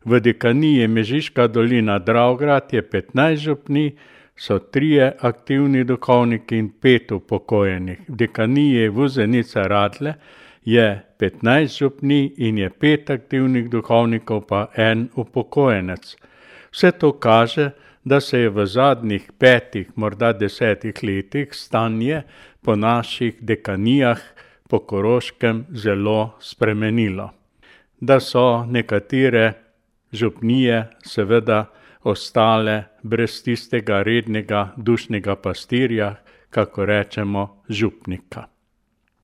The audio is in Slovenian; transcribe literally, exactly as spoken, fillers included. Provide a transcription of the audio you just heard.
V dekaniji Mežiška dolina Dravograd je petnajst župnij, so trije aktivni duhovniki in pet upokojenih. V dekaniji Vuzenica Radlje je petnajst župnij in je pet aktivnih duhovnikov pa en upokojenec. Vse to kaže, da se je v zadnjih petih, morda desetih letih stanje po naših dekanijah po Koroškem zelo spremenilo. Da so nekatere župnije seveda ostale brez tistega rednega dušnega pastirja, kako rečemo, župnika.